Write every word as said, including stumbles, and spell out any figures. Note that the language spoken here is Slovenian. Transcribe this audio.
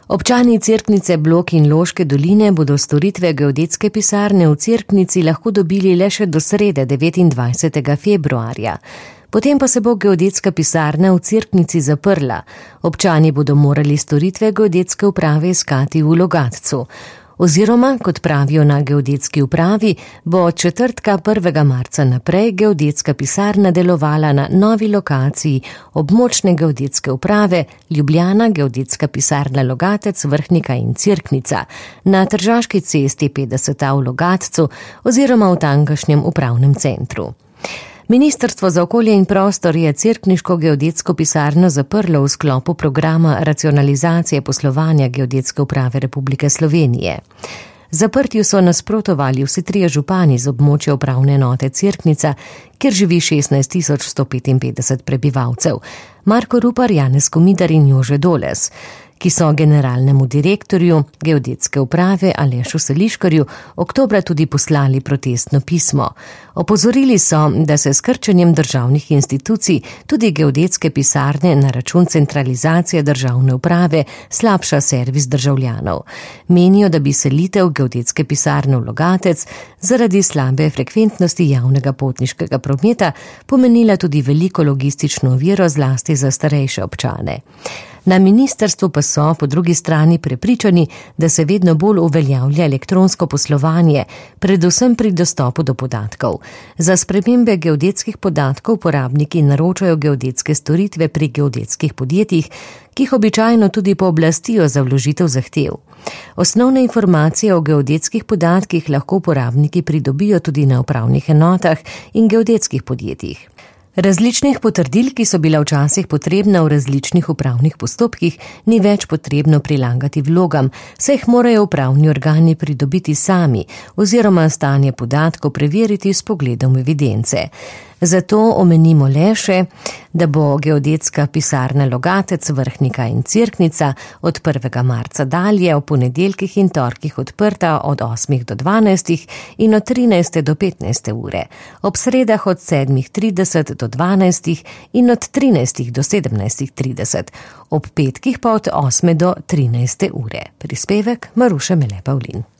Občani Cerknice, Blok in Loške doline bodo storitve geodetske pisarne v Cerknici lahko dobili le še do srede devetindvajsetega februarja. Potem pa se bo geodetska pisarna v Cerknici zaprla. Občani bodo morali storitve geodetske uprave iskati v Logatcu. Oziroma, kot pravijo na geodetski upravi, bo od četrtka prvega marca naprej geodetska pisarna delovala na novi lokaciji območne geodetske uprave Ljubljana, geodetska pisarna Logatec, Vrhnika in Cerknica na Tržaški cesti petdeset a v Logatcu oziroma v tamkajšnjem upravnem centru. Ministrstvo za okolje in prostor je cerkniško geodetsko pisarno zaprlo v sklopu programa racionalizacije poslovanja Geodetske uprave Republike Slovenije. Zaprtju so nasprotovali vsi trije župani z območja upravne enote Cerknica, kjer živi šestnajst tisoč sto petinpetdeset prebivalcev, Marko Rupar, Janez Komidar in Jože Doles, ki so generalnemu direktorju geodetske uprave Alešu Seliškarju oktobra tudi poslali protestno pismo. Opozorili so, da se s krčenjem državnih institucij, tudi geodetske pisarne na račun centralizacije državne uprave, slabša servis državljanov. Menijo, da bi selitev geodetske pisarne v Logatec zaradi slabe frekventnosti javnega potniškega prometa pomenila tudi veliko logistično oviro zlasti za starejše občane. Na ministrstvu pa so po drugi strani prepričani, da se vedno bolj uveljavlja elektronsko poslovanje, predvsem pri dostopu do podatkov. Za spremembe geodetskih podatkov uporabniki naročajo geodetske storitve pri geodetskih podjetjih, ki jih običajno tudi pooblastijo za vložitev zahtev. Osnovne informacije o geodetskih podatkih lahko uporabniki pridobijo tudi na upravnih enotah in geodetskih podjetjih. Različnih potrdil, ki so bila včasih potrebna v različnih upravnih postopkih, ni več potrebno prilagati vlogam, saj jih morajo upravni organi pridobiti sami oziroma stanje podatkov preveriti s pogledom evidence. Zato omenimo le še, da bo geodetska pisarna Logatec, Vrhnika in Cerknica od prvega marca dalje v ponedeljkih in torkih odprta od osmih do dvanajstih in od trinajste do petnajste ure, ob sredah od sedmih trideset do dvanajstih in od trinajstih do sedemnajstih trideset, ob petkih pa od osme do trinajste ure. Prispevek Maruša Mele Pavlin.